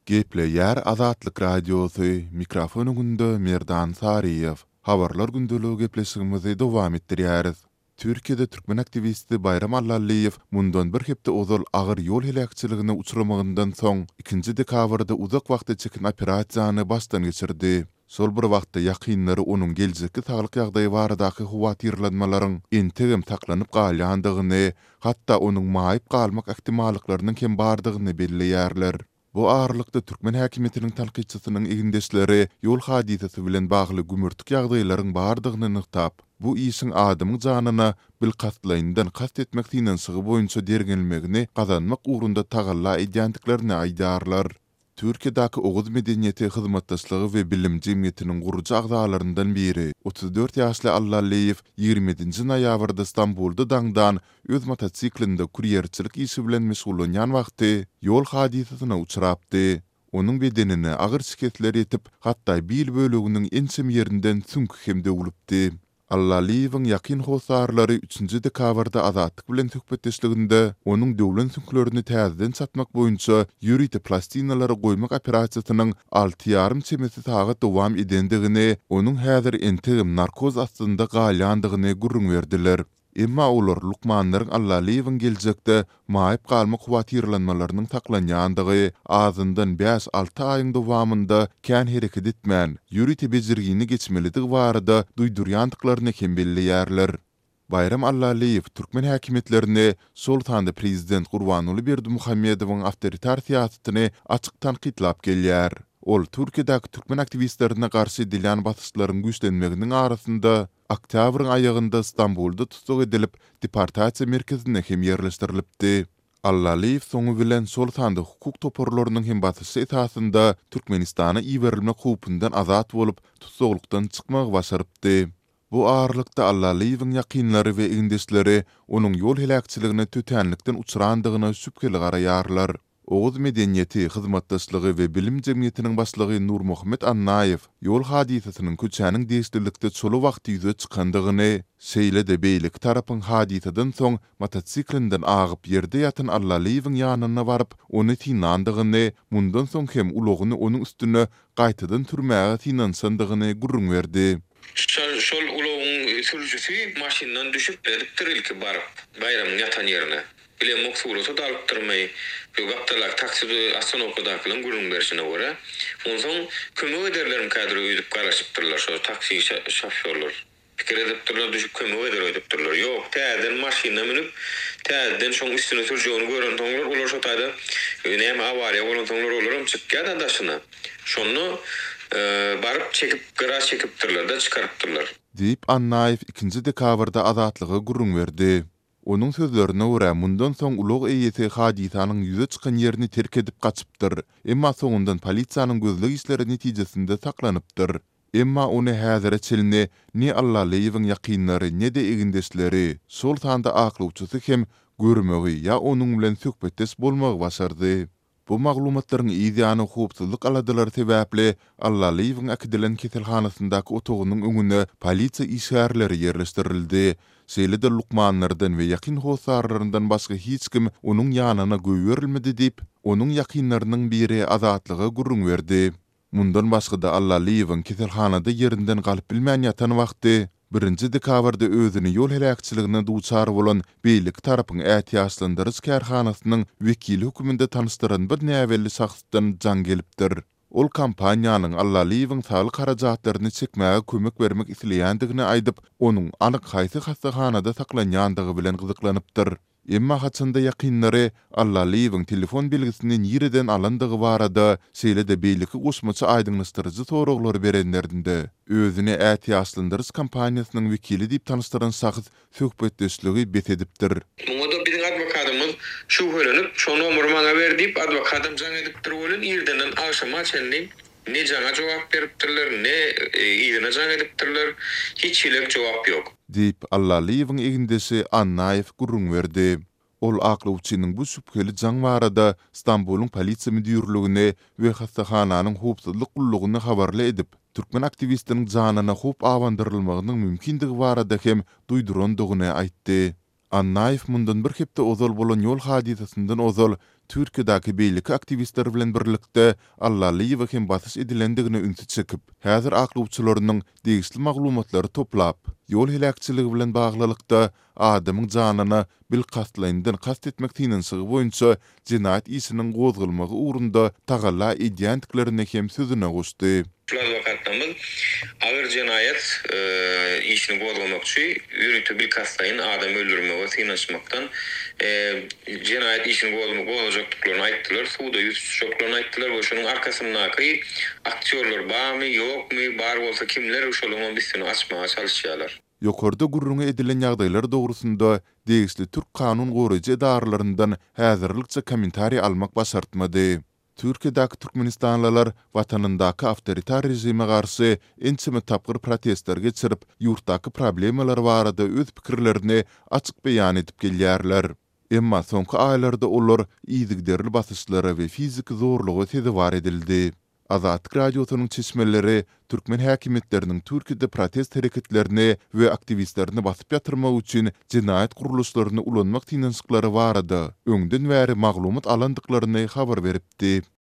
Gepleýär Azatlyk Radiosy, mikrofon öňünde Merdan Saryýew. Habarlar gündeligi gepleşigimizi dowam etdirýäris. Türkiýede türkmen aktiwisti Baýram Allalyýew mundan bir hepde ozal agyr ýol heläkçiligine uçramagyndan soň, ikinji dekabrda uzak wagta çeken operasiýany başdan geçirdi. Şol bir wagtda, ýakynlary onuň geljekki saglyk ýagdaýy baradaky howatyrlanmalaryň entegem saklanyp galýandygyny, hatda onuň maýyp galmak ähtimallyklarynyň hem bardygyny belleýärler. Bu aralykda, türkmen häkimiýetiniň tankytçysynyň egindeşleri ýol hadysasy bilen bagly gümürtik ýagdaýlaryň bardygyny nygtap, bu işiň adamyň janyna bilkastlaýyndan kast etmek synanyşygy boýunça derňelmegini gazanmak ugrunda tagalla edýändiklerini aýdýarlar. Türkiýedäki Oguz medeniýeti, hyzmatdaşlygy we bilim jemgyýetiniň gurujy agzalaryndan biri, 34 ýaşly Allalyýew 27 nji noýabrda Stambulda daňdan öz motosiklinde kurýerçilik işi bilen meşgullanýan wagty ýol hadysasyna uçrapdy. Onuň bedenine agyr şikesler ýetip, hatda bil böleginiň ençeme ýerinden süňki hem döwlüpdi. Allalyýewiň ýakyn hossarlary üçünji dekabrda Azatlyk bilen söhbetdeşliginde onuň döwlen süňklerini täzeden çatmak boýunça ýörite plastinalary goýmak operasiýasynyň alty ýarym çemesi sagat dowam edendigini, onuň häzir entegem narkoz astynda galýandygyny gürrüň berdiler. Emma olar lukmanlaryň Allalyýewiň geljekde maýyp galmak howatyrlanmalarynyň saklanýandygy, azyndan bäş-alty aýyň dowamynda kän hereket etmän, ýörite bejergini geçmelidigi barada duýdurýandyklaryny hem belleýärler. Baýram Allalyýew türkmen häkimiýetlerini, şol sanda prezident Gurbanguly Berdimuhamedowyň awtoritar syýasatyny açyk tankytlap gelýär. Ol Türkiýedäki türkmen aktiwistlerine garşy edilýän basyşlaryň güýçlenmeginiň arasynda, Oktýabryň aýagynda Stambulda tussag edilip, deportasiýa merkezine hem ýerleşdirilipdi. Allalyýew soňy bilen şol sanda hukuk toparlarynyň hem basyşy esasynda Türkmenistana iberilmek howpundan azat bolup, tussaglykdan çykmagy başarypdy. Bu aralykda Allalyýewiň ýakynlary we egindeşleri onuň ýol heläkçiligine tötänlikden uçrandygyna şübheli garaýarlar. Oguz medeniýeti, hyzmatdaşlygy we bilim jemgyýetiniň başlygy Nurmuhammet Annaýew ýol hadysasynyň köçäniň degişlilikde çola wagty ýüze çykandygyny, şeýle-de beýleki tarapyň hadysadan soň motosiklinden agyp ýerde ýatan Allalyýewiň ýanyna baryp, ony synlandygyny, mundan soň hem ulagyny onuň üstüne gaýtadan sürmäge synanyşandygyny gürrüň berdi. Şol ulagyň sürüjisi maşyndan düşüp edipdir ilki baryp Baýramyň ýatan ýerine. Bilemok surata-da alypdyrmy, bu gapdaldaky taksi ostanowkadakylaryň gürrüň berşine görä. Onsoň kömek ederlermikädir öýdüp garaşypdyrlar şo taksi şofýorlar. Pikir edipdirler düşüp kömek eder öýdüpdirler. Ýok, täzeden maşynyna münüp, täzeden şoň üstüne sürjegini görensoňlar olar şo taýda näme awariýa bolansoňlar olaram çykýa-da daşyna. Şonda baryp çekip gyra çekipdirler-de çykarypdyrlar. Diýip, Annaýew ikinji dekabrda Azatlyga gürrüň berdi. Onuň sözlerine görä, mundan soň ulag eýesi hadysanyň ýüze çykan ýerini terk edip gaçypdyr, emma soňundan polisiýanyň gözleg işleri netijesinde saklanypdyr. Emma ony häzire çenli ne Allalyýewiň ýakynlary, ne-de egindeşleri, şol sanda aklawçysy hem görmegi ýa onuň bilen söhbetdeş bolmagy başardy. Bu maglumatlaryň yz ýany howpsuzlyk aladalary sebäpli Allalyýewiň äkidilen keselhanasyndaky otagynyň öňüne polisiýa işgärleri ýerleşdirildi. Şeýle-de lukmanlardan we ýakyn hossarlaryndan başga hiç kim onuň ýanyna goýberilmedi diýip, onuň ýakynlarynyň biri Azatlyga gürrüň berdi. Mundan başga-da Allalyýewiň keselhanada ýerinden galyp bilmän ýatan wagty, birinji dekabrda özüni ýol heläkçiligine duçar bolan beýleki tarapyň ätiýaçlandyryş kärhanasynyň wekili hökmünde tanyşdyran bir näbelli şahsdan jaň gelipdir. Ol kompaniýanyň Allalyýewiň saglyk harajatlaryny çekmäge kömek bermek isleýändigini aýdyp, onuň anyk haýsy hassahanada saklanýandygy bilen gyzyklanypdyr. Emma haçanda ýakynlary Allalyýewiň telefon belgisini nireden alandygy barada, şeýle-de beýleki goşmaça aýdyňlaşdyryjy soraglary berenlerinde, özüni ätiýaçlandyryş kompaniýasynyň wekili diýip tanyşdyran şahs söhbetdeşligi bes edipdir. Muňa-da biziň adwokatymyz şübhelenip, şo nomery maňa ber diýip, adwokatam jaň edipdir welin, irdenden agşama çenli ne jaňa jogap beripdirler, ne yzyna jaň edipdirler, hiç hilek jogap ýok. Diýip, Allalyýewiň egindeşi Annaýew gürrüň berdi. Ol aklawçynyň bu şübheli jaň barada Stambulyň polisiýa müdirligini we hassahananyň howpsuzlyk gullugyny habarly edip, türkmen aktiwistiniň janyna howp abandyrylmagynyň mümkindigi barada hem duýdurandygyny aýtdy. Annaýew mundan bir hepde ozal bolan ýol hadysasyndan ozal, Türkiýedäki beýleki aktiwistler bilen birlikde Allalyýewe hem basyş edilendigine ünsi çekip, häzir aklawçylarynyň degişli maglumatlary toplap, ýol heläkçiligi bilen baglylykda adamyň janyna bilkastlaýyndan kast etmek synanyşygy boýunça jenaýat işiniň gozgalmagy ugrunda tagalla edýändiklerini hem sözüne goşdy. Şul adwokatlarymyz agyr jenaýat işini gozgamakçy, ýörite bilkastlaýyn adam öldürmege synanyşmakdan jenaýat işini gozgajakdyklaryny aýtdylar, suda ýüz tutjaklaryny aýtdylar we şonuň arkasyndaky aktýorlar barmy, ýokmy, bar bolsa kimler, şolaryňam üstüni açmaga çalyşýarlar. Ýokarda gürrüňi edilen ýagdaýlar dogrusynda degişli türk kanun goraýjy edaralaryndan häzirlikçe kommentariý almak başartmady. Türkiýedäki türkmenistanlylar watanyndaky awtoritar režime garşy ençeme tapgyr protestler geçirip, ýurtdaky problemalar barada öz pikirlerini açyk beýan edip gelýärler. Emma soňky aýlarda olar yzygiderli basyşlara we fiziki zorluga sezewar edildi. Azatlyk Radiosynyň çeşmeleri türkmen häkimiýetleriniň Türkiýede protest hereketlerini we aktiwistlerini basyp ýatyrmak üçin jenaýat gurluşlaryny ulanmak synanyşyklary barada öňden bäri maglumat alandyklaryny habar beripdi.